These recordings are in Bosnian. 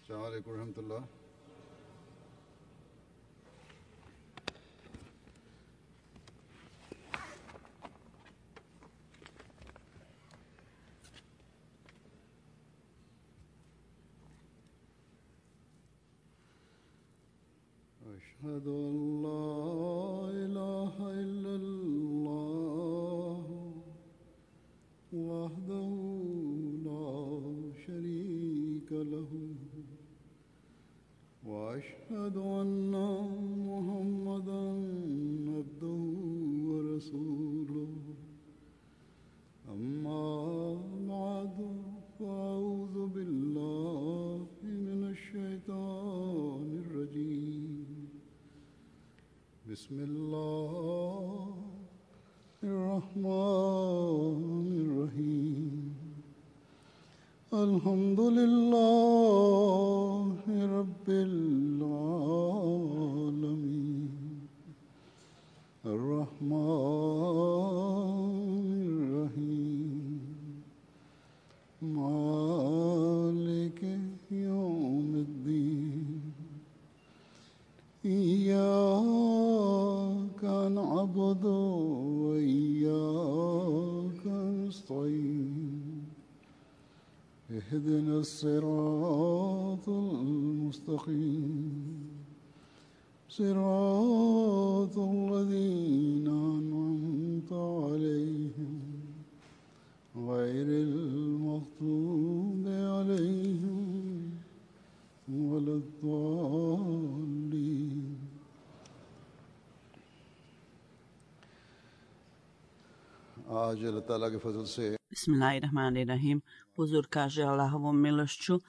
السلام عليكم ورحمة الله. أشهد أن لا إله إلا الله وحده لا شريك له وأشهد أن محمدا عبده ورسوله أما بعد فأعوذ بالله من الشيطان الرجيم بسم الله الرحمن الرحيم الحمد لله رب العالمين الرحمن الرحيم مالك يوم الدين إياك نعبد وإياك نستعين اهدنا الصراط المستقيم صراط الذين أنعمت عليهم غير المغضوب عليهم ولا الضالين. आज अल्लाह ताला के फजल से Bismillahirrahmanirrahim. Uzur kaže Allahovom milošću,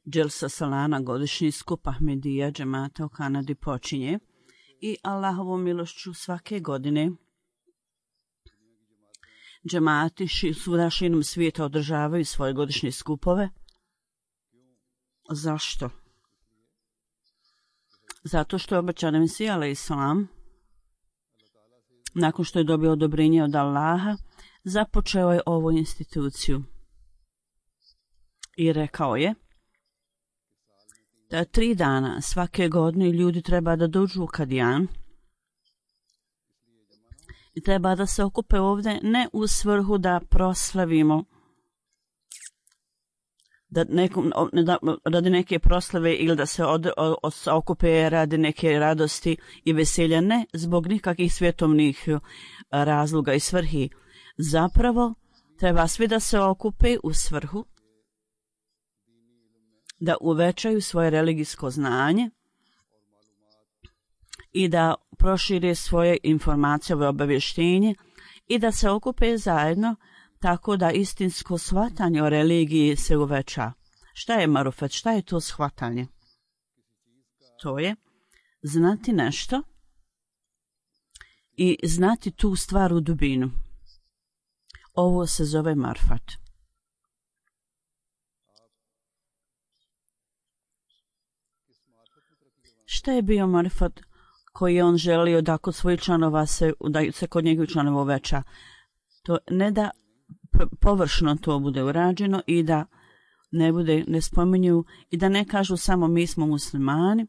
Dželsa Salana, godišnji skup Ahmedija džemata u Kanadi počinje i Allahovom milošću svake godine džemati svuda širom svijeta održavaju svoje godišnje skupove. Zašto? Zato što je obećan Mesija alejhiselam nakon što je dobio odobrenje od Allaha započeo je ovu instituciju i rekao je da 3 dana svake godine ljudi treba da dođu u Kadijan i treba da se okupe ovdje ne u svrhu da proslavimo radi neke proslave ili da se okupe radi neke radosti i veselja, ne zbog nikakvih svjetovnih razloga i svrhi. Zapravo treba svi da se okupe u svrhu da uvećaju svoje religijsko znanje i da prošire svoje informacije o obavještenje i da se okupe zajedno tako da istinsko shvatanje o religiji se uveća. Šta je marufet? Šta je to shvatanje? To je znati nešto i znati tu stvar u dubinu. Ovo se zove marfat. Šta je bio marfat koji je on želio da kod svojih članova da se kod njegovih članova uveća? To ne da površno to bude urađeno i da ne spominju i da ne kažu samo mi smo muslimani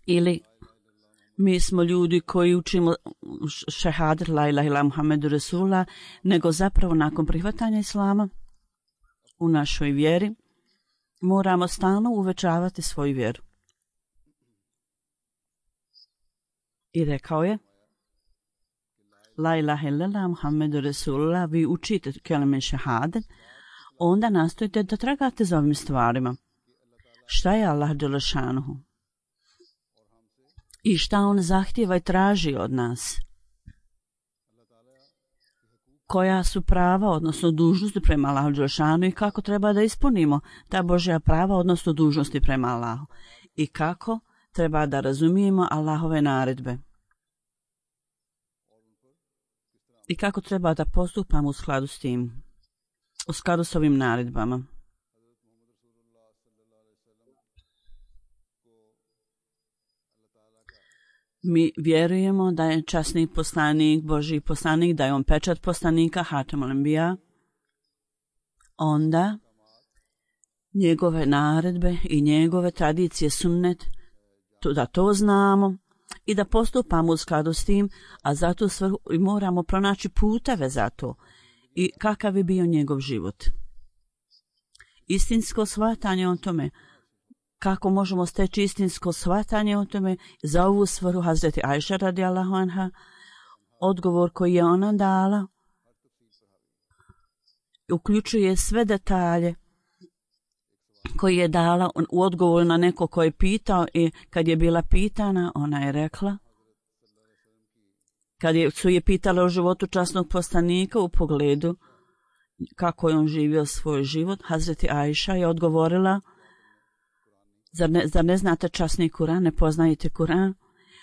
ili mi smo ljudi koji učimo šehadet la ilaha illa Muhammedu Rasulullah, nego zapravo nakon prihvatanja islama u našoj vjeri moramo stalno uvećavati svoju vjeru. I rekao je la ilaha illallah Muhammedu Rasulullah, vi učite kelime šehadet, onda nastojite da tragate za ovim stvarima. Šta je Allah dželešanuhu? I šta on zahtjeva i traži od nas? Koja su prava, odnosno dužnosti prema Allahu dželešanuhu i kako treba da ispunimo ta Božja prava, odnosno dužnosti prema Allahu? I kako treba da razumijemo Allahove naredbe? I kako treba da postupamo u skladu s tim, u skladu s ovim naredbama. Mi vjerujemo da je časni poslanik, Božji poslanik, da je on pečat poslanika, Hatemul Enbija. Onda njegove naredbe i njegove tradicije sunnet, da to znamo i da postupamo u skladu s tim, a zato moramo pronaći puteve za to i kakav je bio njegov život. Istinsko shvatanje o tome, kako možemo steći istinsko shvatanje o tome, za ovu svrhu Hazreti Ajša radijallahu anha, odgovor koji je ona dala, uključuje sve detalje koji je dala u odgovoru na neko koji je pitao, i kad je bila pitana, ona je rekla, kad su je pitala o životu časnog poslanika u pogledu kako je on živio svoj život, Hazreti Ajša je odgovorila, zar ne znate časni Kuran, ne poznajete Kuran?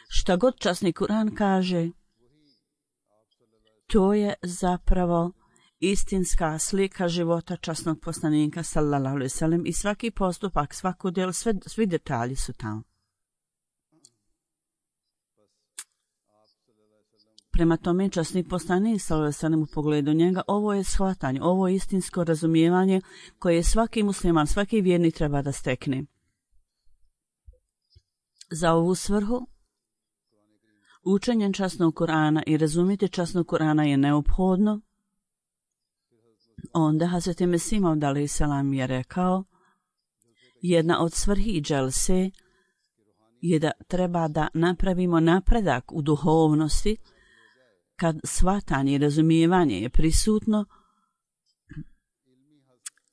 Šta god časni Kuran kaže, to je zapravo istinska slika života časnog poslanika sallallahu alejhi ve sellem, i svaki postupak, svako djelo, svi detalji su tamo. Prema tome, časni poslanik sallallahu alejhi ve sellem u pogledu njega, ovo je shvatanje, ovo je istinsko razumijevanje koje svaki musliman, svaki vjernik treba da stekne. Za ovu svrhu učenje časnog Kurana i razumjeti časnog Kurana je neophodno. Onda Hazreti Mesih Maud alejhi selam je rekao, jedna od svrhi dželse je da treba da napravimo napredak u duhovnosti. Kad shvatanje i razumijevanje je prisutno,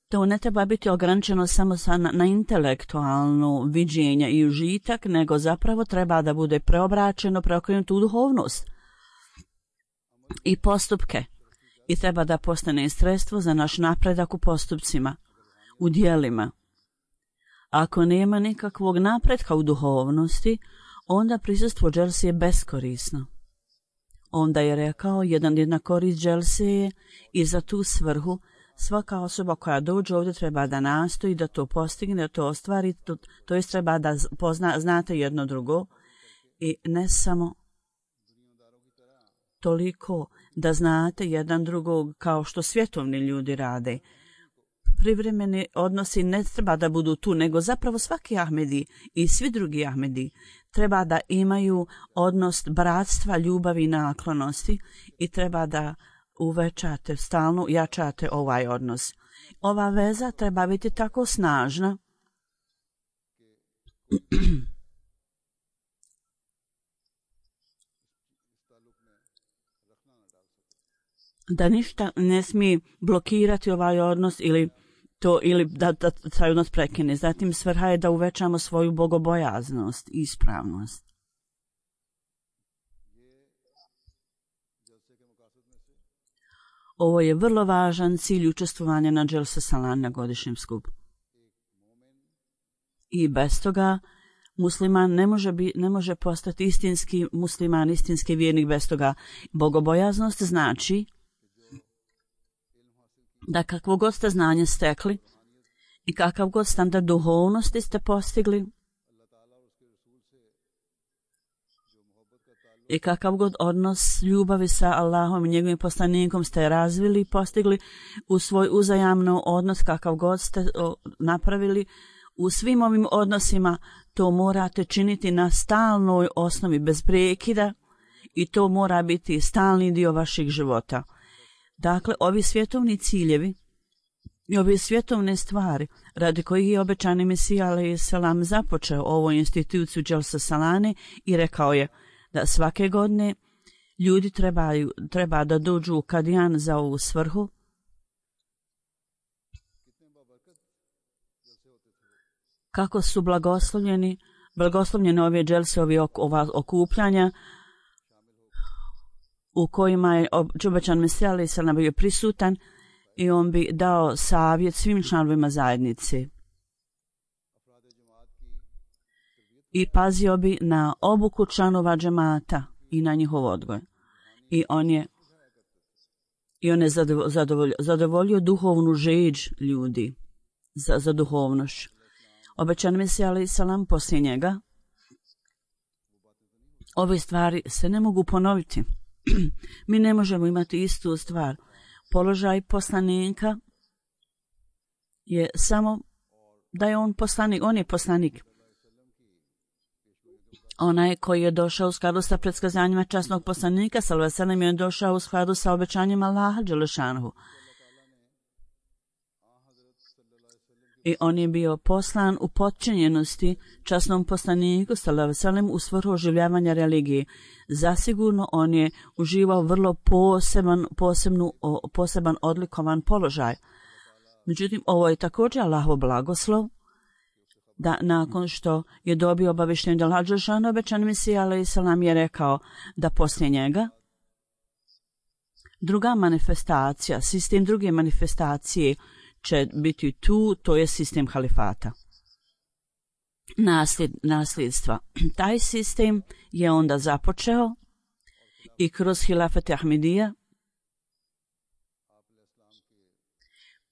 to ne treba biti ograničeno samo na intelektualno viđenje i užitak, nego zapravo treba da bude preobraćeno, preokrenuto u duhovnost i postupke. I treba da postane sredstvo za naš napredak u postupcima, u djelima. Ako nema nikakvog napretka u duhovnosti, onda prisustvo dželse je beskorisno. Onda je rekao, jedna korist dželse je, i za tu svrhu svaka osoba koja dođe ovdje treba da nastoji, da to postigne, da to ostvari, to jest treba da znate jedno drugo, i ne samo toliko da znate jedan drugog kao što svjetovni ljudi rade. Privremeni odnosi ne treba da budu tu, nego zapravo svaki Ahmedi i svi drugi Ahmedi treba da imaju odnos bratstva, ljubavi i naklonosti, i treba da uvećate, stalno jačate ovaj odnos. Ova veza treba biti tako snažna da ništa ne smije blokirati ovaj odnos ili da taj odnos prekine. Zatim svrha je da uvećamo svoju bogobojaznost i ispravnost. Ovo je vrlo važan cilj učestvovanja na Dželse Salan na godišnjem skupu. I bez toga musliman ne može postati istinski musliman, istinski vjernik bez toga. Bogobojaznost znači da kakvo god ste znanje stekli i kakav god standard duhovnosti ste postigli i kakav god odnos ljubavi sa Allahom i njegovim poslanikom ste razvili i postigli u svoj uzajamno odnos, kakav god ste napravili, u svim ovim odnosima to morate činiti na stalnoj osnovi, bez prekida, i to mora biti stalni dio vaših života. Dakle, ovi svjetovni ciljevi i ove svjetovne stvari radi kojih je obećani Mesija alejhi selam započeo ovu instituciju Dželse Salane i rekao je da svake godine ljudi treba da dođu u Kadijan za ovu svrhu. Kako su blagoslovljene ove dželse, ova okupljanja u kojima je obećan Mesija alejhi selam bio prisutan, i on bi dao savjet svim članovima zajednice i pazio bi na obuku članova džemata i na njihov odgoj. I on je zadovoljio duhovnu žeđ ljudi za duhovnošću. Obećan Mesija alejhi selam poslije njega, ove stvari se ne mogu ponoviti. Mi ne možemo imati istu stvar. Položaj poslanika je samo da je on poslanik, on je poslanik. Onaj koji je došao u skladu sa predskazanjima časnog poslanika, sallallahu alejhi ve sellem, je došao u skladu sa obećanjem Allaha dželešanuhu. I on je bio poslan u potčinjenosti časnom poslaniku, sallallahu alejhi ve sellem, u svrhu oživljavanja religije. Zasigurno on je uživao vrlo poseban odlikovan položaj. Međutim, ovo je također Allahov blagoslov, da nakon što je dobio obavještenje da Allaha dželešanuhu, obećani Mesija alejhi selam je rekao da poslije njega druga manifestacija, sistem druge manifestacije će biti tu, to je sistem halifata. Nasljedstva. Taj sistem je onda započeo i kroz hilafet Ahmedija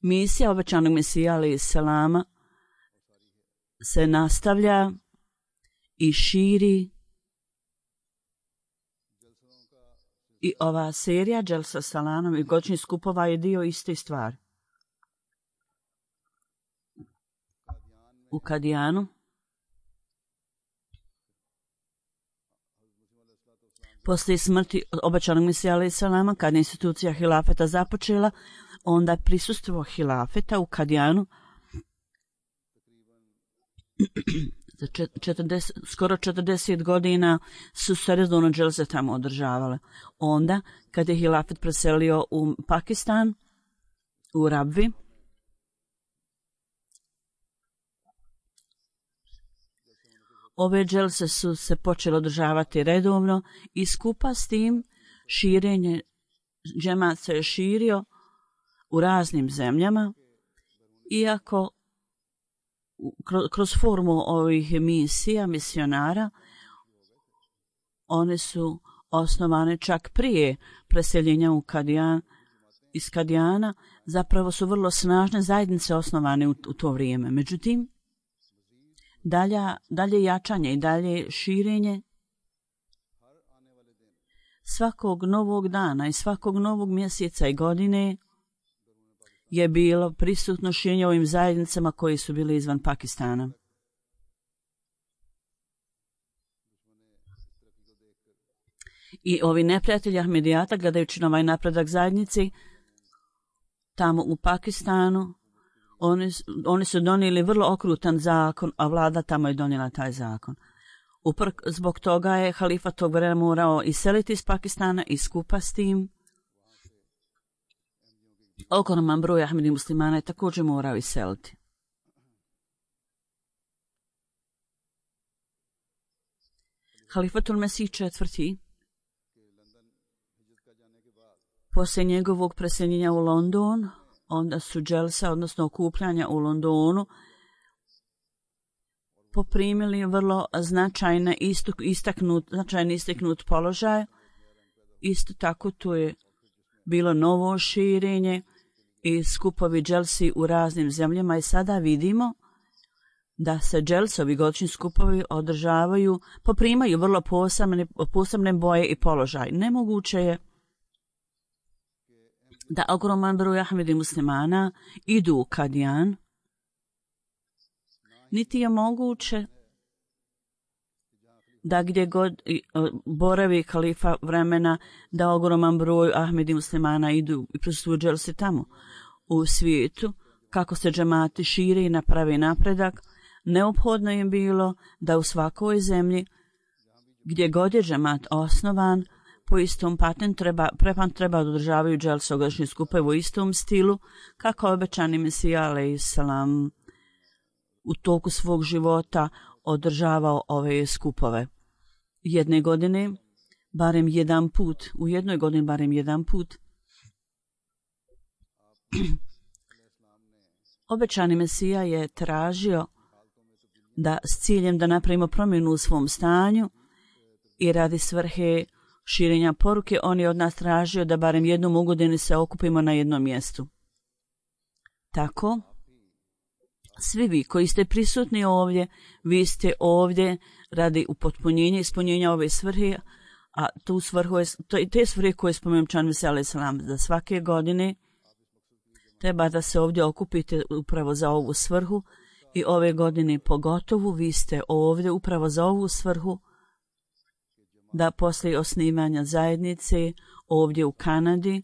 misija obećanog Mesija alejhi selama se nastavlja i širi, i ova serija Dželsa Salanom i godišnjih skupova je dio iste stvari. U Kadijanu poslije smrti obećanog Mesija alejhi selama, kad je institucija hilafeta započela, onda prisustvo hilafeta u Kadijanu za skoro 40 godina su se redovno dželse tamo održavale. Onda, kad je hilafet preselio u Pakistan, u Rabvi, ove dželse su se počele održavati redovno i skupa s tim širenje džemat se je širio u raznim zemljama, iako kroz formu ovih misija, misionara, one su osnovane čak prije preseljenja u Kadijan, iz Kadijana, zapravo su vrlo snažne zajednice osnovane u to vrijeme. Međutim, dalje jačanje i dalje širenje svakog novog dana i svakog novog mjeseca i godine je bilo prisutno širenje ovim zajednicama koji su bili izvan Pakistana. I ovi neprijatelji Ahmedijata, gledajući na ovaj napredak zajednici, tamo u Pakistanu, oni su donijeli vrlo okrutan zakon, a vlada tamo je donijela taj zakon. Zbog toga je halifa tog vremena morao iseliti iz Pakistana i skupa s tim ogroman broj Ahmedi muslimana je također morao iseliti. Halifatul Mesih IV. Poslije njegovog preseljenja u London, onda su dželsa, odnosno okupljanja u Londonu, poprimili vrlo značajni istaknut položaj. Isto tako tu je bilo novo širenje i skupovi dželsi u raznim zemljama i sada vidimo da se dželsovi godišnji skupovi održavaju, poprimaju vrlo posebne boje i položaj. Nemoguće je da ogroman broj Ahmedi muslimana idu u Kadijan, niti je moguće da gdje god boravi halifa vremena da ogroman broj Ahmedi muslimana idu i prisustvuju dželsi tamo. U svijetu, kako se džemati šire i napravi napredak, neophodno je bilo da u svakoj zemlji gdje god je džemat osnovan, po istom prepan treba održavaju dželse godišnje skupove u istom stilu, kako obećani Mesija alejhi selam u toku svog života održavao ove skupove. Jedne godine, barem jedan put, u jednoj godini barem jedan put, obećani Mesija je tražio da s ciljem da napravimo promjenu u svom stanju i radi svrhe širenja poruke, on je od nas tražio da barem jednom u godini se okupimo na jednom mjestu. Tako, svi vi koji ste prisutni ovdje, vi ste ovdje radi upotpunjenja i ispunjenja ove svrhe, a tu svrhu je, te svrhe koje spomenuo Čan Mesija alejhi selam, da svake godine treba da se ovdje okupite upravo za ovu svrhu I ove godine pogotovo vi ste ovdje upravo za ovu svrhu da poslije osnivanja zajednice ovdje u Kanadi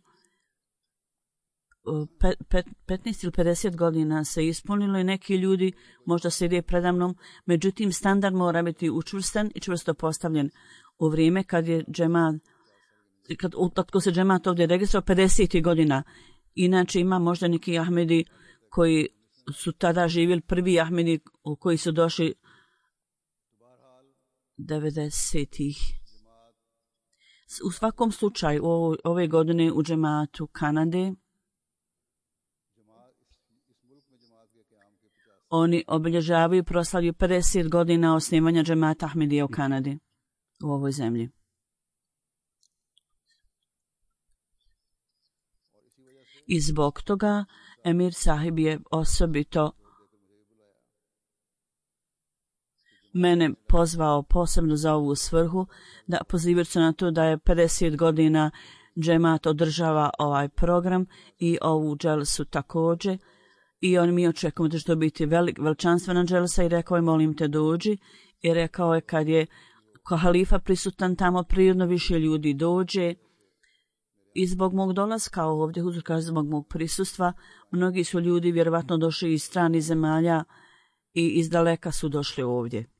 15 ili 50 godina se ispunilo i neki ljudi možda sjede predamnom, međutim standard mora biti učvrstan i čvrsto postavljen u vrijeme kad je džemat, kad se džemat ovdje registrao 50. godina. Inače ima možda neki Ahmedi koji su tada živjeli, prvi Ahmedi koji su došli 90-ih. U svakom slučaju ove godine u džematu Kanade oni obilježavaju i proslavljaju 50 godina osnivanja džemata Ahmedija u Kanadi, u ovoj zemlji. I zbog toga Emir Sahib je osobito mene pozvao posebno za ovu svrhu, da pozivajući na to da je 50 godina džemat održava ovaj program i ovu dželsu također. I on mi očekujemo da će to biti veličanstvena dželsa i rekao je molim te dođi. I rekao je kad je halifa prisutan tamo prirodno više ljudi dođe. I zbog mog dolaska ovdje, Huzur kaže zbog mog prisustva, mnogi su ljudi vjerovatno došli iz stranih zemalja i iz daleka su došli ovdje.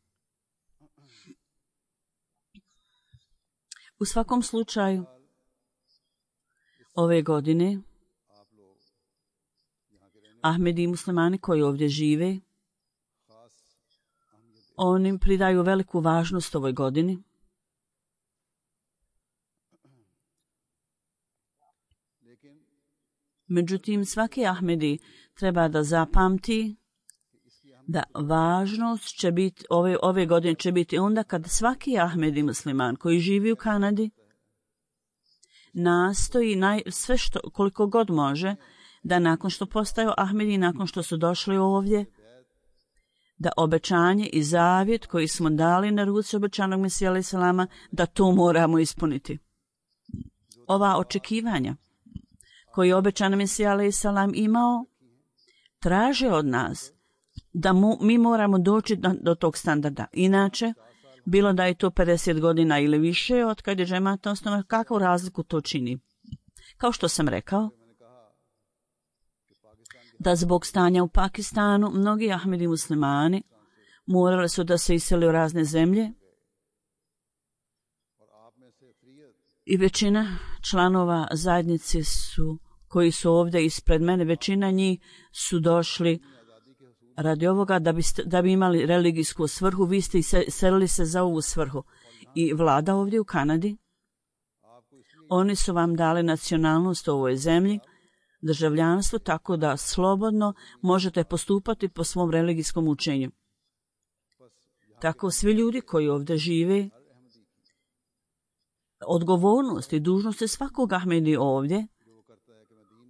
U svakom slučaju, ove godine, Ahmedi i muslimani koji ovdje žive, oni pridaju veliku važnost ovoj godini. Međutim, svaki Ahmedi treba da zapamti da važnost će biti, ove godine će biti onda kad svaki Ahmedi musliman koji živi u Kanadi nastoji sve što, koliko god može, da nakon što postaju Ahmedi, nakon što su došli ovdje, da obećanje i zavjet koji smo dali na ruci obećanog Mesija alejhi selama, da to moramo ispuniti. Ova očekivanja koji je obećan Mesija alejhi selam imao, traže od nas da mi moramo doći do tog standarda. Inače, bilo da je to 50 godina ili više od kad je džemat osnovan, kakvu razliku to čini? Kao što sam rekao, da zbog stanja u Pakistanu mnogi Ahmedi muslimani morali su da se isele u razne zemlje i većina članova zajednice koji su ovdje ispred mene, većina njih su došli radi ovoga da bi imali religijsku svrhu. Vi ste iselili se za ovu svrhu. I vlada ovdje u Kanadi, oni su vam dali nacionalnost u ovoj zemlji, državljanstvo, tako da slobodno možete postupati po svom religijskom učenju. Tako svi ljudi koji ovdje žive, odgovornost i dužnost je svakog Ahmedi ovdje,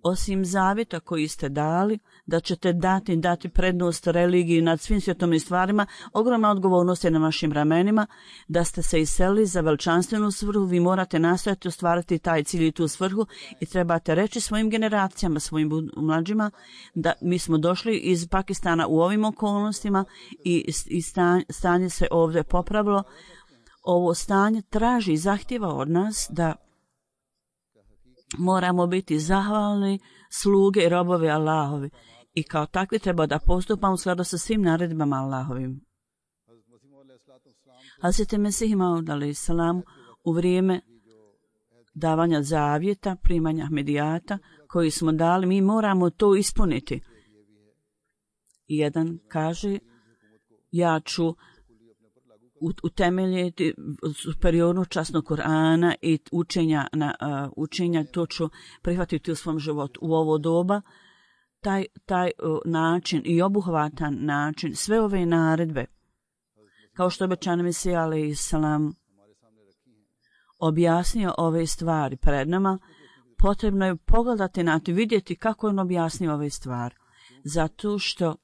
osim zavjeta koji ste dali, da ćete dati prednost religiji nad svim svjetovnim stvarima, ogromna odgovornost je na vašim ramenima, da ste se iselili za veličanstvenu svrhu, vi morate nastojati ostvariti taj cilj i tu svrhu i trebate reći svojim generacijama, svojim mlađima, da mi smo došli iz Pakistana u ovim okolnostima i stanje se ovdje popravilo. Ovo stanje traži i zahtjeva od nas da moramo biti zahvalni sluge i robovi Allahovi i kao takvi treba da postupamo u skladu sa svim naredbama Allahovim. Hazreti Mesih Maud alejhi selam u vrijeme davanja zavjeta, primanja Ahmedijata koji smo dali, mi moramo to ispuniti. Jedan kaže, ja ću utemeljiti superiornu časnog Kur'ana i učenja, to ću prihvatiti u svom životu. U ovo doba, taj način i obuhvatan način, sve ove naredbe, kao što obećan Mesija alejhi selam objasnio ove stvari pred nama, potrebno je pogledati na to, vidjeti kako on objasnio ove stvari. Zato što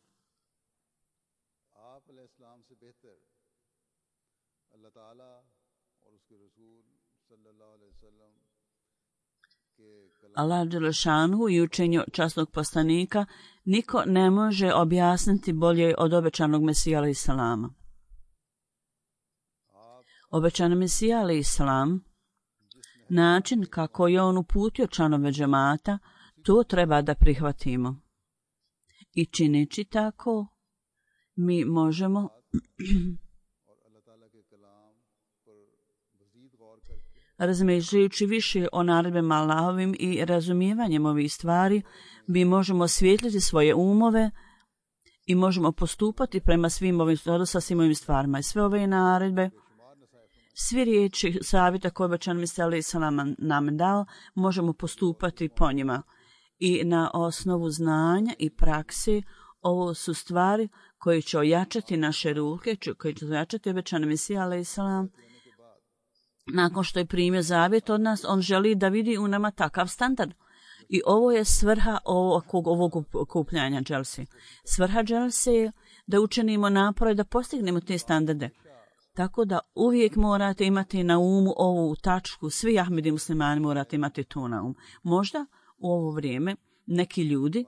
Allah dželešanu i učenju časnog poslanika niko ne može objasniti bolje od obećanog Mesija alejhi selama. Obećani Mesija alejhi selam, način kako je on uputio članove džemata, to treba da prihvatimo. I čineći tako, mi možemo razmišljajući više o naredbama Allahovim i razumijevanjem ovih stvari, mi možemo osvijetliti svoje umove i možemo postupati prema svim ovim stvarima. I sve ove naredbe, svi riječi savjeta koje obećani Mesija alejhi selam nam dao, možemo postupati po njima. I na osnovu znanja i prakse, ovo su stvari koje će ojačati naše ruke, koje će ojačati obećani Mesija alejhi selam. Nakon što je primio zavjet od nas, on želi da vidi u nama takav standard. I ovo je svrha ovog okupljanja dželse. Svrha dželse je da učinimo napore da postignemo te standarde. Tako da uvijek morate imati na umu ovu tačku, svi Ahmedi muslimani morate imati to na umu. Možda u ovo vrijeme neki ljudi,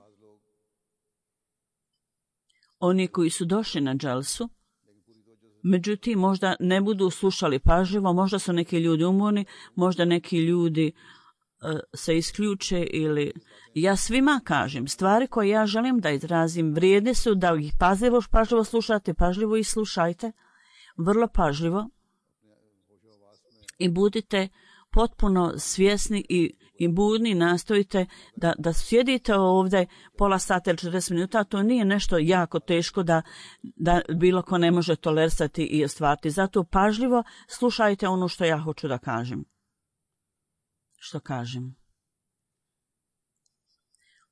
oni koji su došli na dželsu, međutim možda ne budu slušali pažljivo, možda su neki ljudi umorni, možda neki ljudi se isključe ili... Ja svima kažem, stvari koje ja želim da izrazim vrijedne su da ih pažljivo slušate, pažljivo ih slušajte, vrlo pažljivo i budite potpuno svjesni i budni, nastojite da sjedite ovdje pola sata ili 40 minuta, to nije nešto jako teško da bilo ko ne može tolerisati i ostvariti. Zato pažljivo slušajte ono što ja hoću da kažem. Što kažem?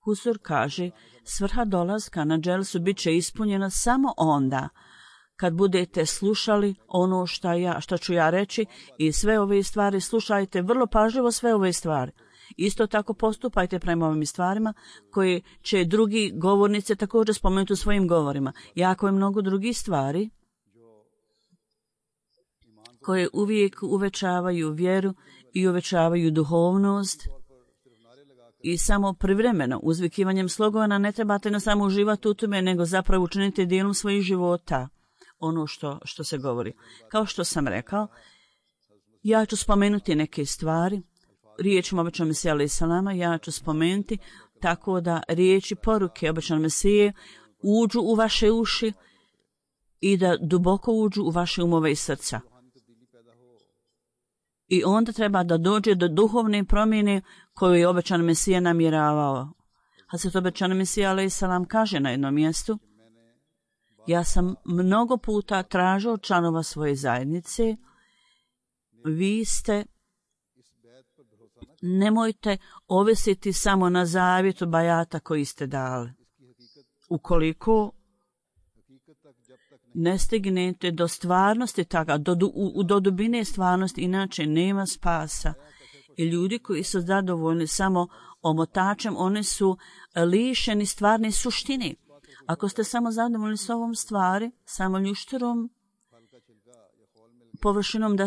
Husur kaže, svrha dolaska na dželsu bit će ispunjena samo onda kad budete slušali ono što ću ja reći i sve ove stvari, slušajte vrlo pažljivo sve ove stvari. Isto tako postupajte prema ovim stvarima koje će drugi govornice također spomenuti u svojim govorima. Jako je mnogo drugih stvari koje uvijek uvećavaju vjeru i uvećavaju duhovnost i samo privremeno uzvikivanjem slogana ne trebate na samo uživati u tome, nego zapravo učinite dijelom svojih života ono što se govori. Kao što sam rekao, ja ću spomenuti neke stvari, riječima obećanog Mesija alejhi selama, ja ću spomenuti tako da riječi poruke obećanog Mesije uđu u vaše uši i da duboko uđu u vaše umove i srca. I onda treba da dođe do duhovne promjene koju je obećani Mesija namjeravao. Hazret obećani Mesija alejhi selam kaže na jednom mjestu, ja sam mnogo puta tražio od članova svoje zajednice, vi ste, nemojte ovisiti samo na zavjetu bajata koji ste dali. Ukoliko ne stignete do stvarnosti toga, do dubine stvarnosti, inače nema spasa. I ljudi koji su zadovoljni samo omotačem, oni su lišeni stvarne suštine. Ako ste samo zadovoljni s ovom stvari, samo ljušterom, površinom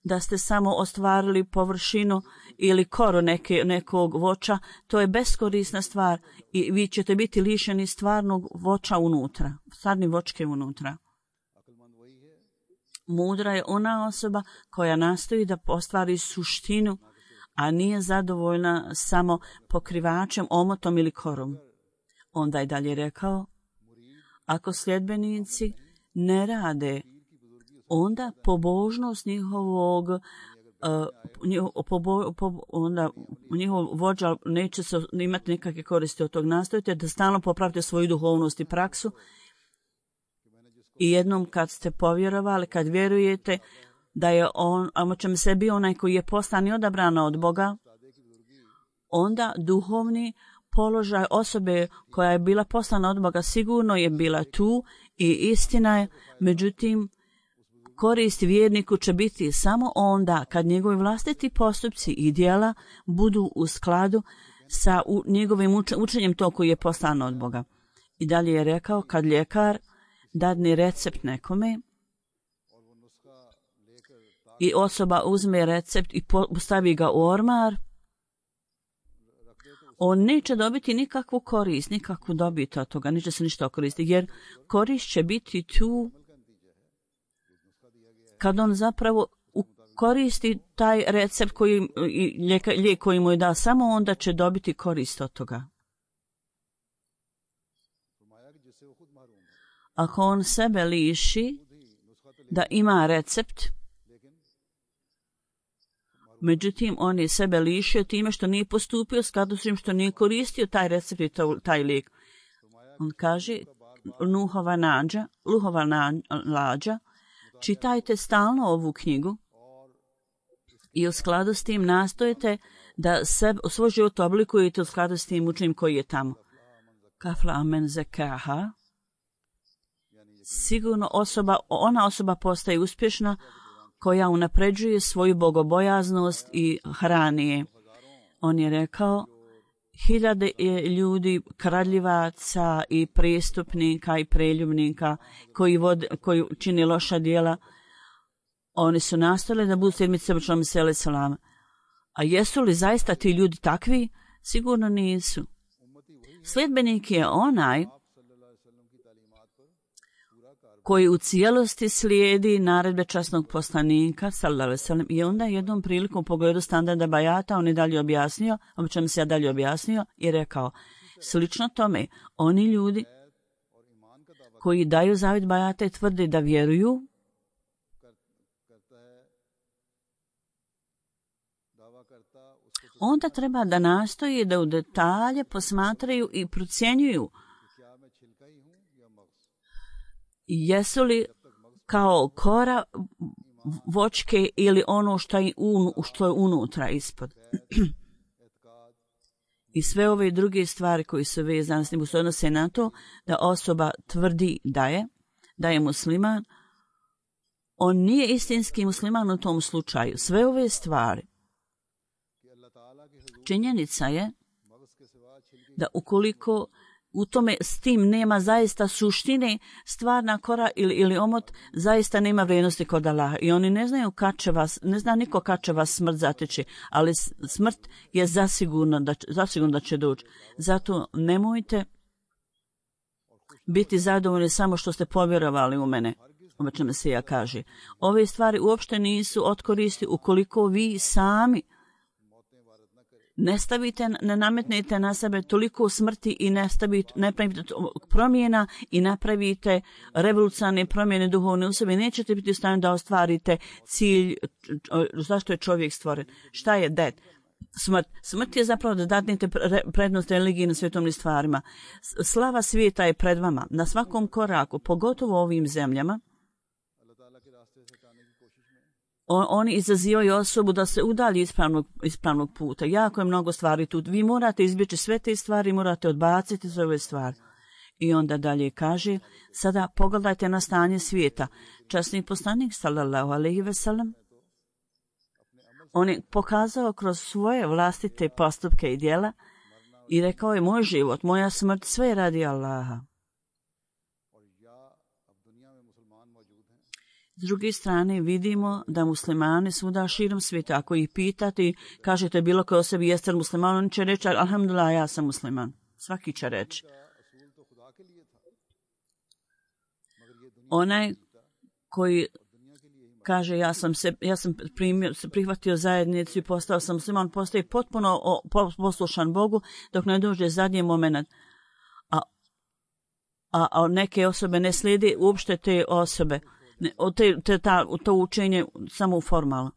da ste samo ostvarili površinu ili koru nekog voća, to je beskorisna stvar i vi ćete biti lišeni stvarnog voća unutra, stvarni voćke unutra. Mudra je ona osoba koja nastoji da ostvari suštinu, a nije zadovoljna samo pokrivačem, omotom ili korom. Onda je dalje rekao, ako sljedbenici ne rade, onda pobožnost onda njihov vođa neće se imati nekakve koristi od tog. Nastojite da stalno popravite svoju duhovnost i praksu i jednom kad ste povjerovali, kad vjerujete da je on, a ćemo se bio onaj koji je poslan i odabran od Boga, onda duhovni položaj osobe koja je bila poslana od Boga sigurno je bila tu i istina je, međutim korist vjerniku će biti samo onda kad njegovi vlastiti postupci i djela budu u skladu sa njegovim učenjem to koji je poslan od Boga. I dalje je rekao, kad ljekar dadne recept nekome i osoba uzme recept i stavi ga u ormar, on neće dobiti nikakvu korist, nikakvu dobit od toga, neće se ništa koristiti, jer korist će biti tu kad on zapravo koristi taj recept lijek koji mu je da, samo onda će dobiti korist od toga. Ako on sebe liši da ima recept, međutim on je sebe lišio time što nije postupio skladu s tim što nije koristio taj recept i taj lijek. On kaže, Luhova lađa, čitajte stalno ovu knjigu i u skladu s tim nastojite da svoj život oblikujete u skladu s tim učenjem koji je tamo. Kafla amen zekaha. Sigurno ona osoba postaje uspješna koja unapređuje svoju bogobojaznost i hrani je. On je rekao, 1000 ljudi, kradljivaca i prestupnika i preljubnika koji čini loša djela, oni su nastali da budu sedmice počnom sele salama. A jesu li zaista ti ljudi takvi? Sigurno nisu. Sljedbenik je onaj koji u cijelosti slijedi naredbe časnog poslanika, sallallahu alejhi ve sellem, i onda jednom prilikom u pogledu standarda bajata on je dalje objasnio, o čemu se ja dalje objasnio, i rekao, slično tome, oni ljudi koji daju zavjet bajata i tvrde da vjeruju, onda treba da nastoji da u detalje posmatraju i procjenjuju jesu li kao kora voćke ili ono što je unutra ispod. I sve ove druge stvari koji su vezane s njim se odnose na to da osoba tvrdi da je musliman, on nije istinski musliman u tom slučaju. Sve ove stvari. Činjenica je da ukoliko u tome s tim nema zaista suštine, stvarna kora ili omot zaista nema vrijednosti kod Allaha. I oni ne znaju ne zna niko kad će vas smrt zateći, ali smrt je zasigurno da će doći. Zato nemojte biti zadovoljni samo što ste povjerovali u mene. O čemu se ja kaže. Ove stvari uopšte nisu od koristi ukoliko vi sami ne nametnete na sebe toliko smrti i ne pravite promjena i napravite revolucionarne promjene duhovne u sebi. Nećete biti u stanju da ostvarite cilj zašto je čovjek stvoren. Šta je det? Smrt. Smrt je zapravo da dadnete prednost religiji na svetovnim stvarima. Slava svijeta je pred vama. Na svakom koraku, pogotovo u ovim zemljama, oni izazivaju osobu da se udalji ispravnog puta. Jako je mnogo stvari tu. Vi morate izbjeći sve te stvari, morate odbaciti sve ove stvari. I onda dalje kaže, sada pogledajte na stanje svijeta. Časni poslanik, sallallahu alejhi ve sellem, on je pokazao kroz svoje vlastite postupke i djela i rekao je, moj život, moja smrt, sve je radi Allaha. S druge strane vidimo da muslimani svuda širom svijeta, ako ih pitate, kažete bilo koje o sebi jeste musliman, on će reći, alhamdulillah, ja sam musliman. Svaki će reći. Onaj koji kaže ja sam prihvatio zajednicu i postao sam musliman, postaje potpuno poslušan Bogu dok ne dođe zadnji moment. A neke osobe ne slijede uopšte te osobe. To učenje samo formalno.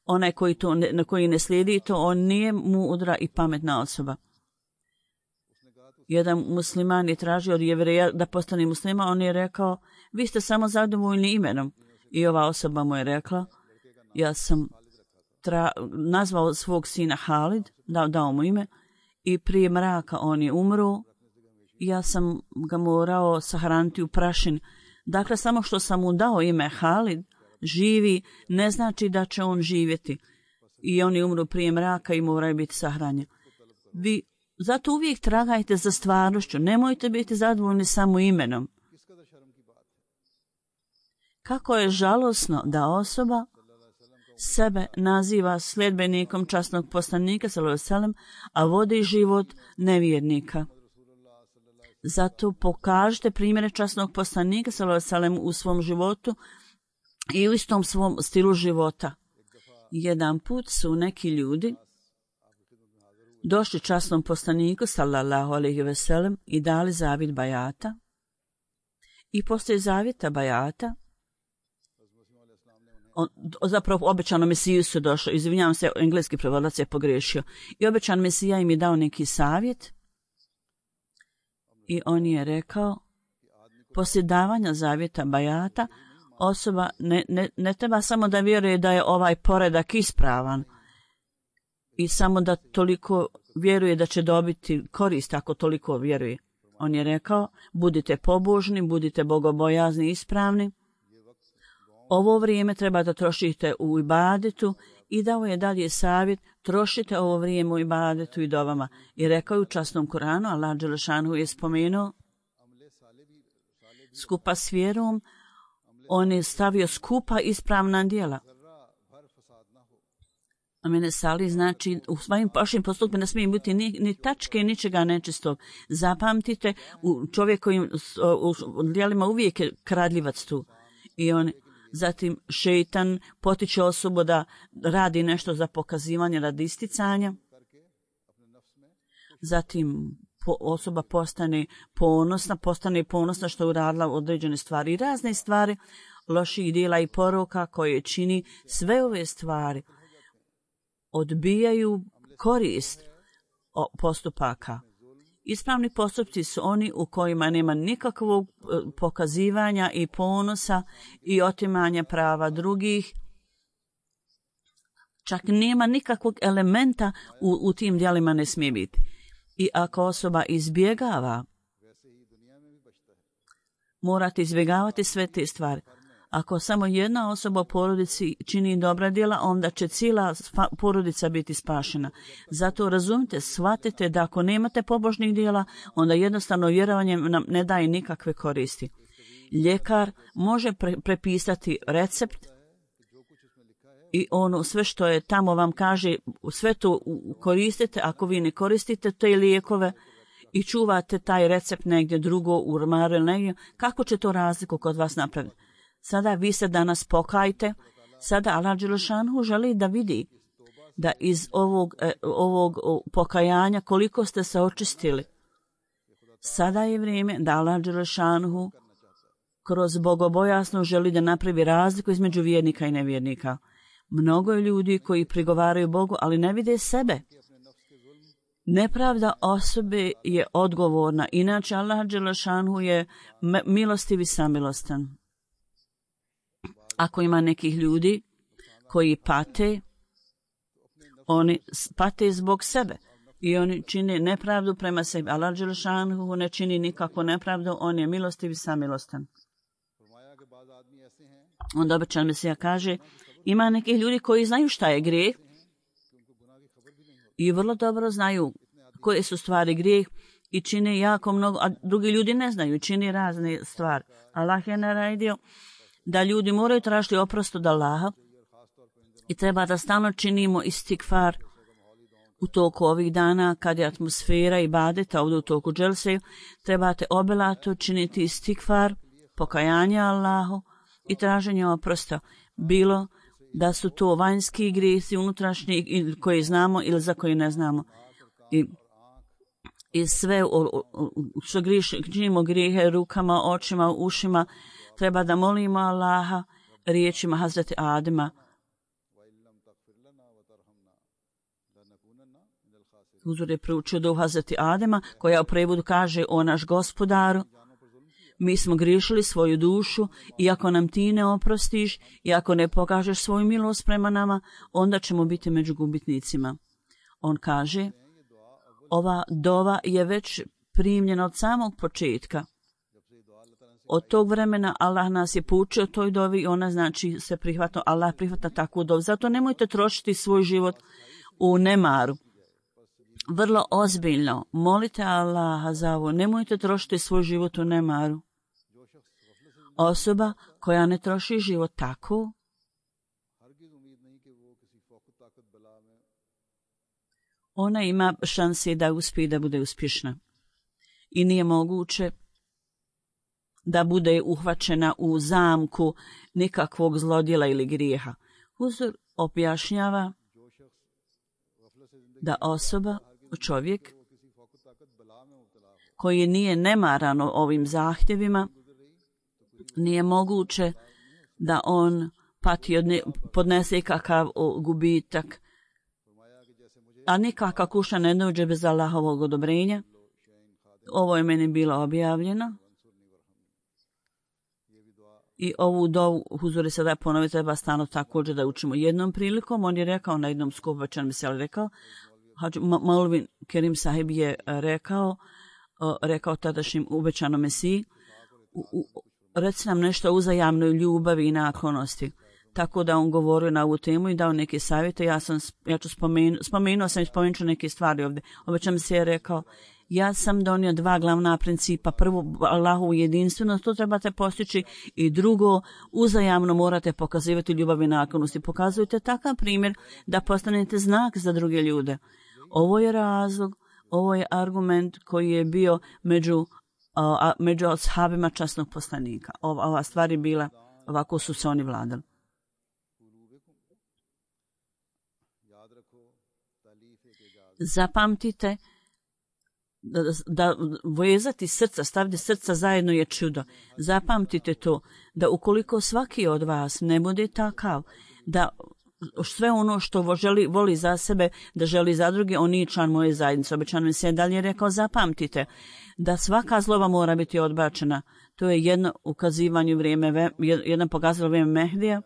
Onaj koji ne slijedi to, on nije mudra i pametna osoba. Jedan musliman je tražio od Jevreja da postane muslima, on je rekao, vi ste samo zadovoljni imenom. I ova osoba mu je rekla, ja sam nazvao svog sina Halid, dao mu ime, i prije mraka on je umro, ja sam ga morao sahraniti u prašini. Dakle, samo što sam mu dao ime Halid, živi, ne znači da će on živjeti. I on je umro prije mraka i moraju biti sahranjeni. Vi zato uvijek tragajte za stvarnošću, nemojte biti zadovoljni samo imenom. Kako je žalosno da osoba sebe naziva sljedbenikom časnog poslanika sallallahu alejhi ve sellem, a vodi život nevjernika. Zato pokažite primjere časnog poslanika sallallahu alejhi ve sellem u svom životu i u istom svom stilu života. Jedan put su neki ljudi došli časnom poslaniku sallallahu alejhi ve sellem i dali zavjet bajata. I poslije zavjeta bajata, zapravo obećano Mesiju su došli, izvinjavam se, engleski prevodilac je pogriješio, i obećan Mesija im je dao neki savjet i on je rekao, poslije davanja zavjeta bajata, osoba ne treba samo da vjeruje da je ovaj poredak ispravan i samo da toliko vjeruje da će dobiti korist ako toliko vjeruje. On je rekao, budite pobožni, budite bogobojazni i ispravni. Ovo vrijeme treba da trošite u ibadetu i dao je dalje savjet, trošite ovo vrijeme u ibadetu i dovama. I rekao je u časnom Kuranu, Allah dželešanu je spomenuo, skupa s vjerom, on je stavio skupa ispravna djela. Amene sali znači u svojim vašim postupima ne smije biti ni tačke, ničega nečistog. Zapamtite, u čovjekovim djelima uvijek je kradljivac tu. I on zatim šeitan potiče osobu da radi nešto za pokazivanje radi isticanja. Zatim osoba postane ponosna što je uradila određene stvari i razne stvari, loših djela i poroka koje čini. Sve ove stvari odbijaju korist postupaka. Ispravni postupci su oni u kojima nema nikakvog pokazivanja i ponosa i otimanja prava drugih. Čak nema nikakvog elementa u tim djelima ne smije biti. I ako osoba izbjegava, morate izbjegavati sve te stvari. Ako samo jedna osoba u porodici čini dobra djela, onda će cijela porodica biti spašena. Zato razumite, shvatite da ako nemate pobožnih djela, onda jednostavno vjerovanje nam ne daje nikakve koristi. Ljekar može prepisati recept i ono sve što je tamo vam kaže, sve to koristite. Ako vi ne koristite te lijekove i čuvate taj recept negdje drugo u ormaru ili negdje, kako će to razliku kod vas napraviti? Sada vi se danas pokajte. Sada Allah dželešanu želi da vidi da iz ovog pokajanja koliko ste se očistili. Sada je vrijeme da Allah dželešanu kroz bogobojasno želi da napravi razliku između vjernika i nevjernika. Mnogo je ljudi koji prigovaraju Bogu, ali ne vide sebe. Nepravda osobe je odgovorna. Inače Allah dželešanu je milostiv i samilostan. Ako ima nekih ljudi koji pate, oni pate zbog sebe i oni čine nepravdu prema sebi. Allah dželešanu ne čini nikakvu nepravdu, on je milostiv i samilostan. Onda obećan Mesija kaže, ima nekih ljudi koji znaju šta je grijeh i vrlo dobro znaju koje su stvari grijeh i čine jako mnogo, a drugi ljudi ne znaju, čine razne stvari. Allah je naredio da ljudi moraju tražiti oprost od Allaha i treba da stalno činimo istikfar u toku ovih dana kad je atmosfera ibadeta ovdje u toku dželse. Trebate obilato činiti istikfar, pokajanje Allahu i traženje oprosta. Bilo da su to vanjski grijesi, unutrašnji koji znamo ili za koji ne znamo. I sve što činimo grijehe rukama, očima, ušima, treba da molimo Allaha riječima Hazreti Adema. Huzur je proučio dovu Hazreti Adema koja u prevodu kaže: o naš gospodaru, mi smo griješili svoju dušu i ako nam ti ne oprostiš i ako ne pokažeš svoju milost prema nama, onda ćemo biti među gubitnicima. On kaže, ova dova je već primljena od samog početka. Od tog vremena Allah nas je poučio toj dovi i ona znači se prihvata, Allah prihvata takvu dovu. Zato nemojte trošiti svoj život u nemaru. Vrlo ozbiljno molite Allaha za ovo. Nemojte trošiti svoj život u nemaru. Osoba koja ne troši život tako, ona ima šanse da uspije da bude uspješna. I nije moguće da bude uhvaćena u zamku nikakvog zlodjela ili grijeha. Huzur objašnjava da osoba, čovjek, koji nije nemaran ovim zahtjevima, nije moguće da on pati podnese kakav gubitak, a nikakva kuća ne dođe bez Allahovog odobrenja. Ovo je meni bilo objavljeno. I ovu dovu, huzuri sada ponovi, treba stano također da učimo. Jednom prilikom, on je rekao na jednom skupu, večer mi se rekao, Maulvin Kerim sahib je rekao tadašnjim ubećanom Mesiji, reci nam nešto o uzajamnoj ljubavi i naklonosti. Tako da on govorio na ovu temu i dao neke savjete. Ja ću spomenut ću neke stvari ovdje. Obećam se je rekao, ja sam donio dva glavna principa. Prvo, Allahovu jedinstvenost, to trebate postići, i drugo, uzajamno morate pokazivati ljubav i naklonost. Pokazujte takav primjer da postanete znak za druge ljude. Ovo je razlog, ovo je argument koji je bio među ashabima časnog poslanika. Ova stvar je bila, ovako su se oni vladali. Zapamtite da vezati srca, staviti srca zajedno je čudo. Zapamtite to, da ukoliko svaki od vas ne bude takav, da sve ono što voli za sebe, da želi za druge, on nije član moje zajednice. Obećano mi se dalje rekao, zapamtite da svaka zloba mora biti odbačena. To je jedno ukazivanje jedan pokazatelj vrijeme Mehdija,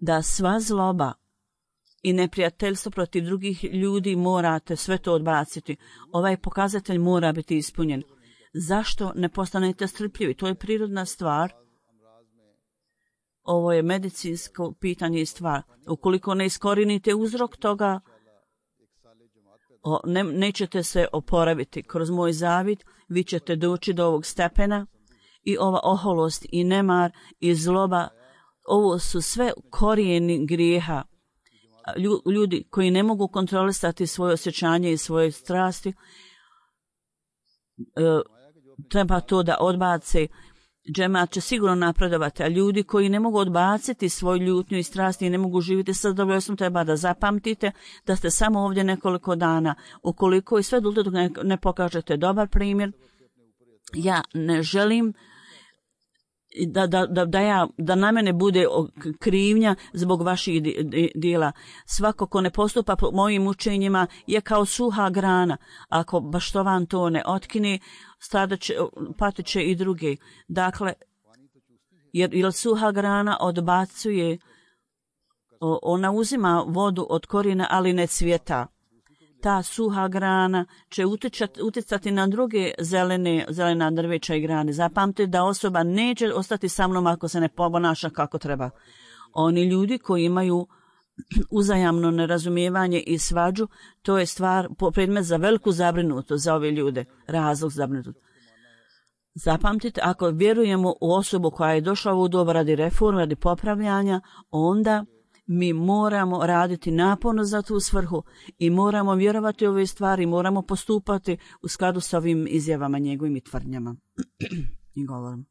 da sva zloba i neprijateljstvo protiv drugih ljudi morate sve to odbaciti. Ovaj pokazatelj mora biti ispunjen. Zašto ne postanete strpljivi? To je prirodna stvar. Ovo je medicinsko pitanje i stvar. Ukoliko ne iskorinite uzrok toga, nećete se oporaviti. Kroz moj zavid vi ćete doći do ovog stepena i ova oholost i nemar i zloba, ovo su sve korijeni grijeha. Ljudi koji ne mogu kontrolisati svoje osjećanje i svoje strasti, treba to da odbace. Džemat će sigurno napredovati, a ljudi koji ne mogu odbaciti svoju ljutnju i strasti i ne mogu živjeti sa zadovoljstvom, treba da zapamtite da ste samo ovdje nekoliko dana. Ukoliko i sve dok ne pokažete dobar primjer, ja ne želim da na mene bude krivnja zbog vaših djela. Svako ko ne postupa po mojim učenjima je kao suha grana. Ako baštovan to ne otkine, patit će i drugi. Dakle, jer suha grana odbacuje, ona uzima vodu od korijena, ali ne cvjeta. Ta suha grana će utjecati na druge zelena drveća i grane. Zapamtite da osoba neće ostati sa mnom ako se ne ponaša kako treba. Oni ljudi koji imaju uzajamno nerazumijevanje i svađu, to je predmet za veliku zabrinutost za ove ljude, razlog zabrinutosti. Zapamtite, ako vjerujemo u osobu koja je došla u doba radi reforme, radi popravljanja, onda mi moramo raditi naporno za tu svrhu i moramo vjerovati u ove stvari, moramo postupati u skladu sa ovim izjavama, njegovim i tvrdnjama i govorom.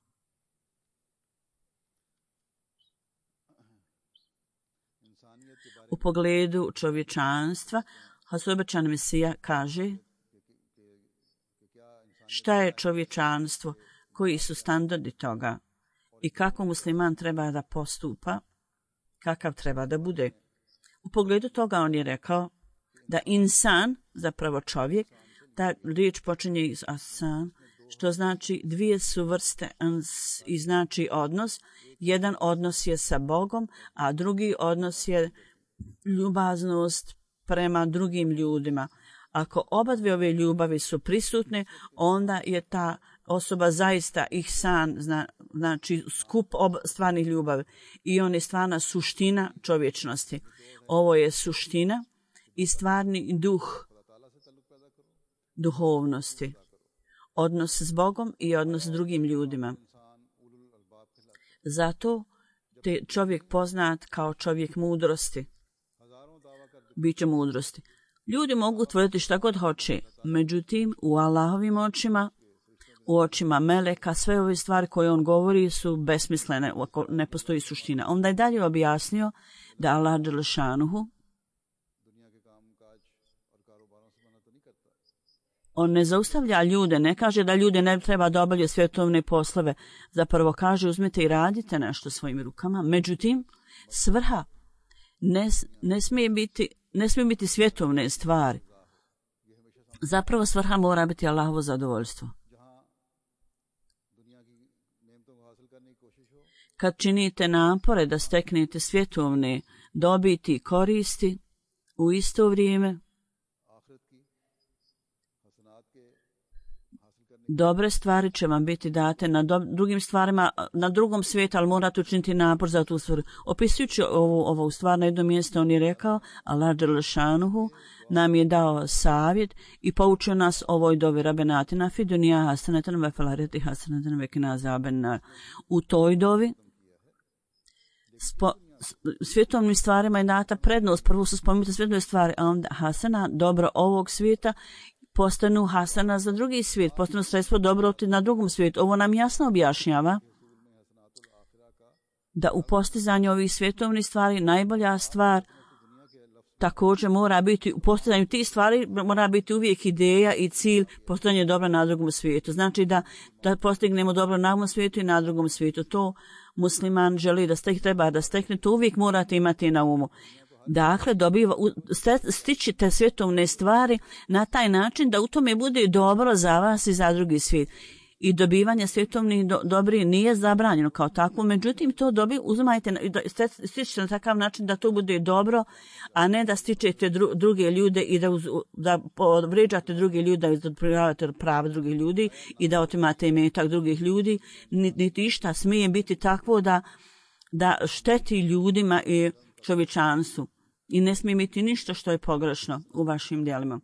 U pogledu čovječanstva, Hasobećan Mesija kaže šta je čovječanstvo, koji su standardi toga i kako musliman treba da postupa, kakav treba da bude. U pogledu toga on je rekao da insan, zapravo čovjek, ta riječ počinje iz asan, što znači dvije su vrste i znači odnos. Jedan odnos je sa Bogom, a drugi odnos je ljubaznost prema drugim ljudima. Ako oba dvije ove ljubavi su prisutne, onda je ta osoba zaista ihsan, znači skup stvarnih ljubavi. I on je stvarna suština čovječnosti. Ovo je suština i stvarni duh duhovnosti. Odnos s Bogom i odnos s drugim ljudima. Zato te čovjek poznat kao čovjek mudrosti. Biće mudrosti. Ljudi mogu tvrditi šta god hoće, međutim u Allahovim očima, u očima meleka, sve ove stvari koje on govori su besmislene, ne postoji suština. Onda je dalje objasnio da Allah dželešanuhu on ne zaustavlja ljude, ne kaže da ljude ne treba da obavljaju svjetovne poslove. Zapravo kaže uzmite i radite nešto svojim rukama. Međutim, svrha ne smije biti svjetovne stvari. Zapravo svrha mora biti Allahovo zadovoljstvo. Kad činite napore da steknete svjetovne dobiti i koristi, u isto vrijeme dobre stvari će vam biti date na drugim stvarima, na drugom svijetu, ali morate učiniti napor za tu stvar. Opisujući ovu stvar na jednom mjestu, on je rekao, Allah dželešanuhu nam je dao savjet i poučio nas ovoj dovi rabenatina fi dunija hasanatan ve fil ahireti hasanatan ve qina azaban nar. U toj dovi svjetovnim stvarima je data prednost. Prvo su spomenute svjetovne stvari, a onda hasana, dobro ovog svijeta, postanu hasana za drugi svijet, postanu sredstvo dobroti na drugom svijetu. Ovo nam jasno objašnjava da u postizanju ovih svjetovnih stvari najbolja stvar također mora biti, u postizanju tih stvari mora biti uvijek ideja i cilj postojanje dobra na drugom svijetu. Znači da postignemo dobro na ovom svijetu i na drugom svijetu. To musliman želi da treba da stekne, to uvijek morate imati na umu. Dakle, stići te svjetovne stvari na taj način da u tome bude dobro za vas i za drugi svijet. I dobivanje svjetovnih dobri nije zabranjeno kao takvo, međutim to uzimajte stičete na takav način da to bude dobro, a ne da stičete druge ljude i da vrijeđate druge ljude, da odprijavate prava drugih ljudi i da otimate imetak drugih ljudi. Niti išta smije biti takvo da šteti ljudima i čovječanstvu. I ne smije biti ništa što je pogrešno u vašim djelima.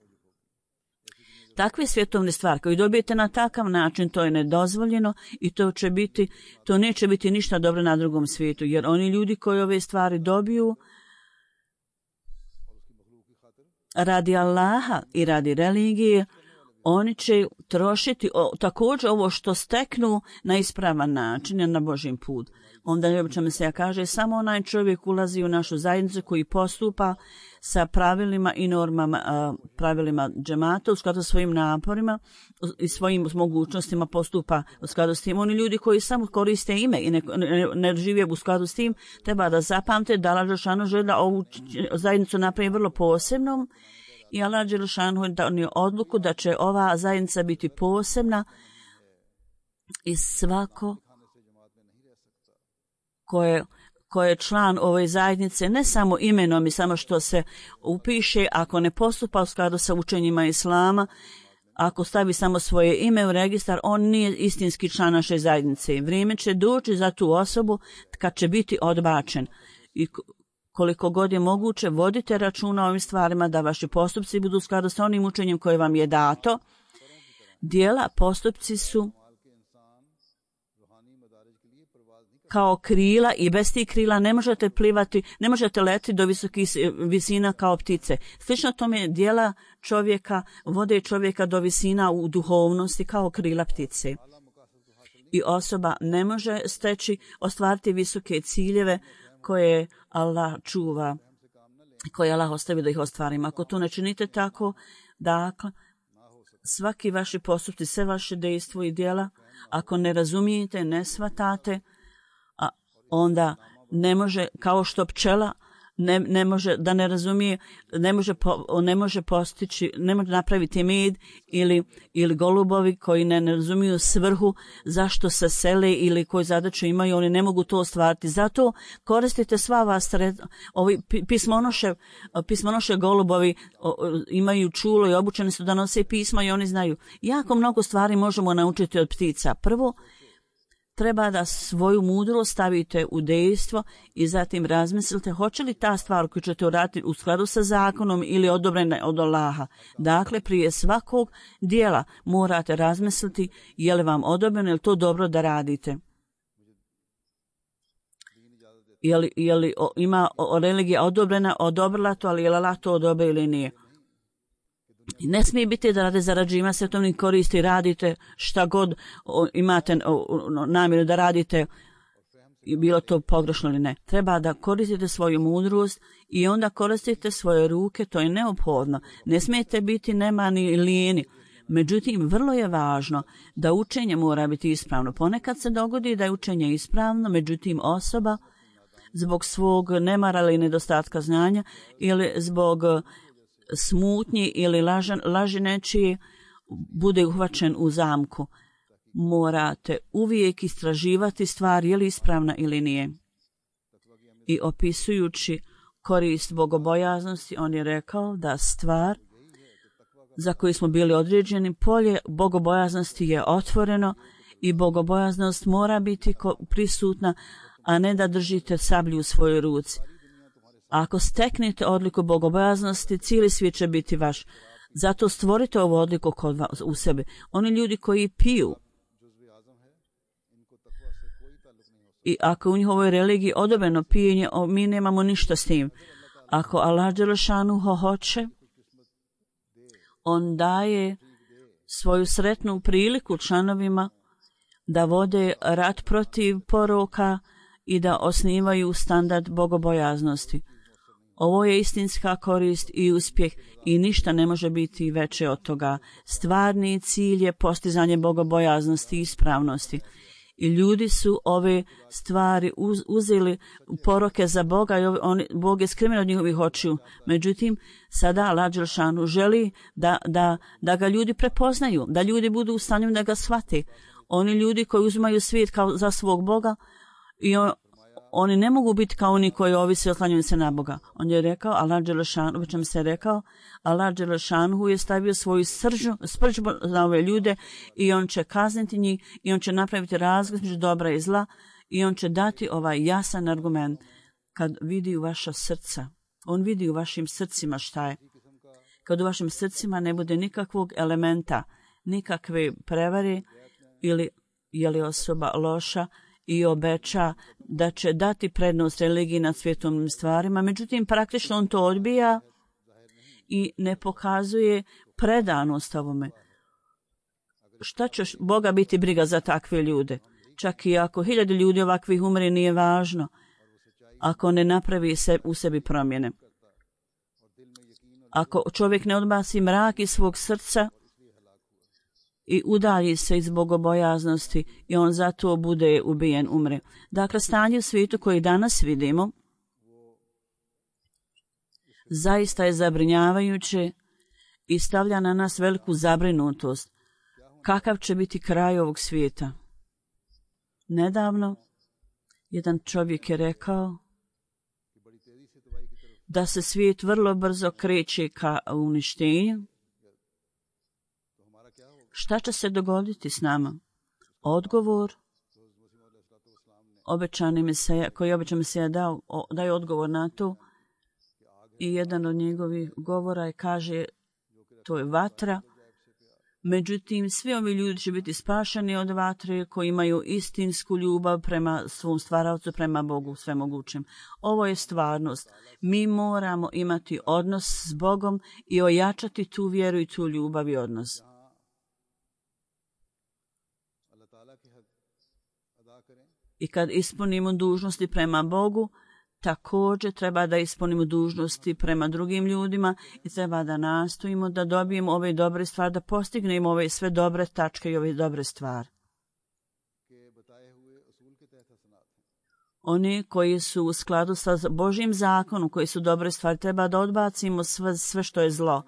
Takve svjetovne stvari koje dobijete na takav način, to je nedozvoljeno i to neće biti ništa dobro na drugom svijetu, jer oni ljudi koji ove stvari dobiju radi Allaha i radi religije, oni će trošiti također ovo što steknu na ispravan način, na Božjem put. Onda obično se kaže, samo onaj čovjek ulazi u našu zajednicu koji postupa sa pravilima i normama, pravilima džemata u skladu sa svojim naporima i svojim mogućnostima postupa u skladu s tim. Oni ljudi koji samo koriste ime i ne žive u skladu s tim, treba da zapamte da Allah dželešanu želi da ovu zajednicu napravi vrlo posebnom i Allah dželešanu donio odluku da će ova zajednica biti posebna i svako ko je član ove zajednice, ne samo imenom i samo što se upiše, ako ne postupa u skladu sa učenjima Islama, ako stavi samo svoje ime u registar, on nije istinski član naše zajednice. Vrijeme će doći za tu osobu kad će biti odbačen. I koliko god je moguće, vodite računa o ovim stvarima da vaši postupci budu u skladu sa onim učenjem koje vam je dato. Dijela, postupci su kao krila i bez tih krila ne možete plivati, ne možete letiti do visokih visina kao ptice. Slično tome dijela čovjeka vode čovjeka do visina u duhovnosti kao krila ptice. I osoba ne može ostvariti visoke ciljeve koje Allah čuva, koje Allah ostavi da ih ostvarimo. Ako to ne činite tako, dakle, svaki vaši postupci, sve vaše dejstvo i djela, ako ne razumijete, ne shvatate, onda ne može, kao što pčela ne može da ne razumije, ne može postići, ne može napraviti med ili golubovi koji ne razumiju svrhu zašto se sele ili koju zadaću imaju, oni ne mogu to ostvariti. Zato koristite sva vas ovi pismonoše golubovi imaju čulo i obučeni su da nose pisma i oni znaju. Jako mnogo stvari možemo naučiti od ptica. Prvo, treba da svoju mudrost stavite u dejstvo i zatim razmislite hoće li ta stvar koju ćete uraditi u skladu sa zakonom ili odobrena od Allaha. Dakle, prije svakog dijela morate razmisliti je li vam odobreno, je li to dobro da radite. Je li ima religija odobrila to, ali je li Allah to odobrio ili nije. Ne smije biti da rade zarađivanja svetovnih koristi, radite šta god imate namjeru da radite, bilo to pogrešno ili ne. Treba da koristite svoju mudrost i onda koristite svoje ruke, to je neophodno. Ne smijete biti nemani i lijeni. Međutim, vrlo je važno da učenje mora biti ispravno. Ponekad se dogodi da je učenje ispravno, međutim osoba zbog svog nemara ili nedostatka znanja ili zbog smutnji ili laži nečije bude uhvaćen u zamku. Morate uvijek istraživati stvar je li ispravna ili nije. I opisujući korist bogobojaznosti, on je rekao da stvar za koju smo bili određeni, polje bogobojaznosti je otvoreno i bogobojaznost mora biti prisutna, a ne da držite sablju u svojoj ruci. Ako steknete odliku bogobojaznosti, cijeli svijet će biti vaš. Zato stvorite ovu odliku kod vas, u sebi. Oni ljudi koji piju i ako u njihovoj religiji odobreno pijenje, mi nemamo ništa s tim. Ako Allah dželešanuhu hoće, on daje svoju sretnu priliku članovima da vode rat protiv poroka i da osnivaju standard bogobojaznosti. Ovo je istinska korist i uspjeh i ništa ne može biti veće od toga. Stvarni cilj je postizanje bogobojaznosti i ispravnosti. I ljudi su ove stvari uzeli poroke za Boga i Bog je skriven od njihovih očiju. Međutim, sada Allah dželešanu želi da ga ljudi prepoznaju, da ljudi budu u stanju da ga shvate. Oni ljudi koji uzimaju svijet kao za svog Boga i oni ne mogu biti kao oni koji ovise oslanjaju se na Boga. On je rekao, Allah dželešanu je stavio svoju sprđbu za ove ljude i on će kazniti njih i on će napraviti razgled između dobra i zla i on će dati ovaj jasan argument. Kad vidi u vaša srca, on vidi u vašim srcima šta je. Kad u vašim srcima ne bude nikakvog elementa, nikakve prevare ili je li osoba loša i obeća da će dati prednost religiji nad svjetovnim stvarima, međutim praktično on to odbija i ne pokazuje predanost ovome. Šta će Boga biti briga za takve ljude? Čak i ako 1000 ljudi ovakvih umre, nije važno ako ne napravi u sebi promjene. Ako čovjek ne odbaci mrak iz svog srca i udalji se iz bogobojaznosti i on zato bude ubijen, umre. Dakle, stanje u svijetu koje danas vidimo zaista je zabrinjavajuće i stavlja na nas veliku zabrinutost. Kakav će biti kraj ovog svijeta? Nedavno jedan čovjek je rekao da se svijet vrlo brzo kreće ka uništenju. Šta će se dogoditi s nama? Odgovor koji je obećan Mesija daje odgovor na to i jedan od njegovih govora kaže to je vatra. Međutim, svi ovi ljudi će biti spašeni od vatre koji imaju istinsku ljubav prema svom stvaravcu, prema Bogu svemogućem. Ovo je stvarnost. Mi moramo imati odnos s Bogom i ojačati tu vjeru i tu ljubav i odnos. I kad ispunimo dužnosti prema Bogu, također treba da ispunimo dužnosti prema drugim ljudima i treba da nastojimo da dobijemo ove dobre stvari, da postignemo ove sve dobre tačke i ove dobre stvari. Oni koji su u skladu sa Božjim zakonom, koji su dobre stvari, treba da odbacimo sve što je zlo.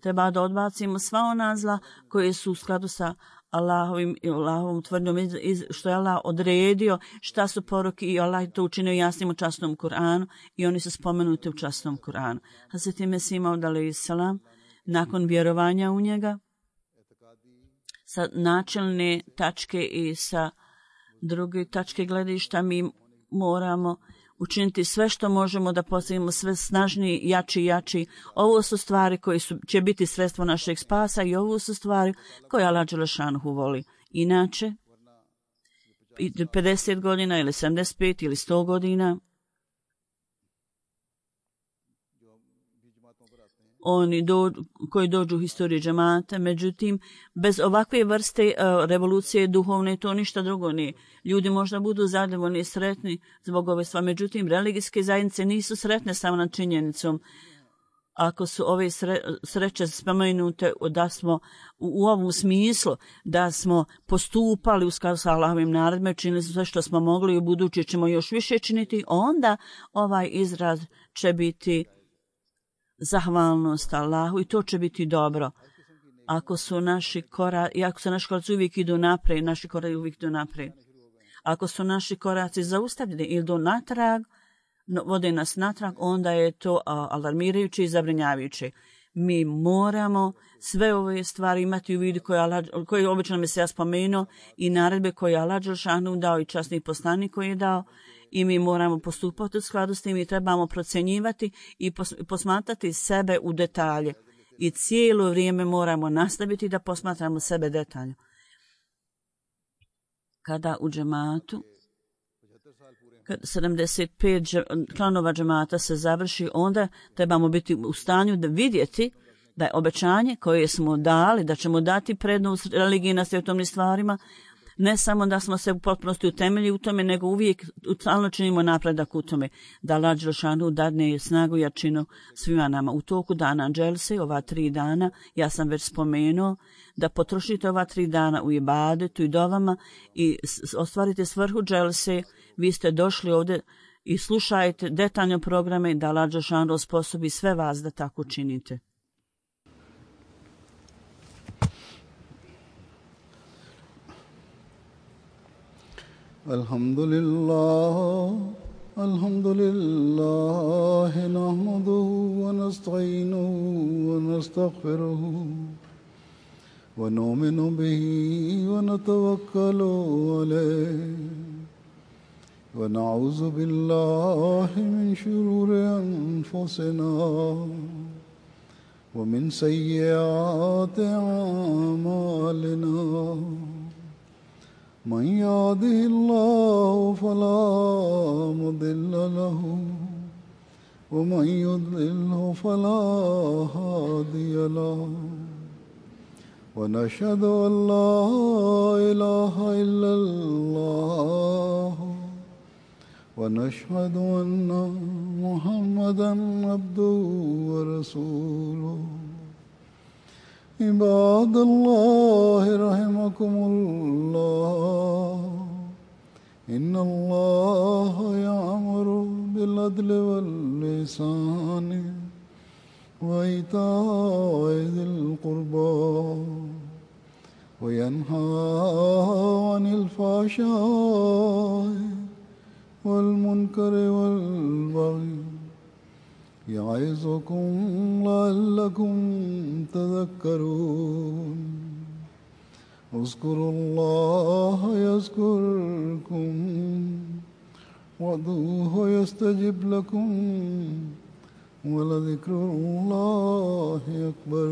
Treba da odbacimo sva ona zla koje su u skladu sa Allahovom tvrdnjom, što je Allah odredio, šta su poruke i Allah to učinio jasnim u časnom Kur'anu i oni su spomenuti u časnom Kur'anu. Hazreti Mesih Maud alejhiselam, nakon vjerovanja u njega, sa načelne tačke i sa druge tačke gledišta mi moramo učiniti sve što možemo da postignemo sve snažniji, jači. Ovo su stvari koje će biti sredstvo našeg spasa i ovo su stvari koje Allah dželešanuhu voli. Inače, 50 godina ili 75 ili 100 godina, oni koji dođu u historiju džemata, međutim, bez ovakve vrste revolucije duhovne to ništa drugo nije. Ljudi možda budu zadovoljni i sretni zbog ove stvari, međutim, religijske zajednice nisu sretne samo nad činjenicom. Ako su ove sreće spomenute da smo u ovom smislu, da smo postupali u skladu sa Allahovim naredbama, činili sve što smo mogli i u budući ćemo još više činiti, onda ovaj izraz će biti zahvalnost Allahu i to će biti dobro. Ako su naši koraci uvijek idu naprijed, naši koraci uvijek idu naprijed. Ako su naši koraci zaustavljeni ili do natrag, vode nas natrag, onda je to alarmirajuće i zabrinjavajuće. Mi moramo sve ove stvari imati u vidu koje obično mi se ja spomenuo i naredbe koje je Allah dželešanu dao i časni poslanik koji je dao i mi moramo postupati u skladu s tim i trebamo procjenjivati i posmatrati sebe u detalje. I cijelo vrijeme moramo nastaviti da posmatramo sebe detaljno. Kada u džematu kad 75 klanova džemata se završi, onda trebamo biti u stanju da vidjeti da je obećanje koje smo dali, da ćemo dati prednost religiji na svjetovnim stvarima, ne samo da smo se u potpunosti utemelji u tome, nego uvijek stalno činimo napredak u tome, da Allah dželešanu dadne snagu i jačinu svima nama. U toku dana dželse, ova 3 dana, ja sam već spomenuo, da potrošite ova 3 dana u ibadetu i dovama i ostvarite svrhu dželse. Vi ste došli ovdje i slušajte detaljne programe da Allah dželešanu osposobi sve vas da tako činite. Alhamdulillah, nahmaduhu wa nasta'inuhu wa nastaghfiruhu wa nu'minu bihi wa natawakkalu alayhi wa na'udzu billahi min shururi anfusina wa min sayyiati a'malina. من يهده الله فلا مضل له ومن يضلله فلا هادي له ونشهد أن لا إله إلا الله ونشهد أن محمدا عبده ورسوله. عباد الله رحمكم الله إن الله يأمر بالعدل والإحسان وإيتاء ذي القربى وينهى عن الفحشاء والمنكر والبغي يعظكم لعلكم تذكرون. اذكروا الله يذكركم وادعوه يستجب لكم ولذكر الله أكبر.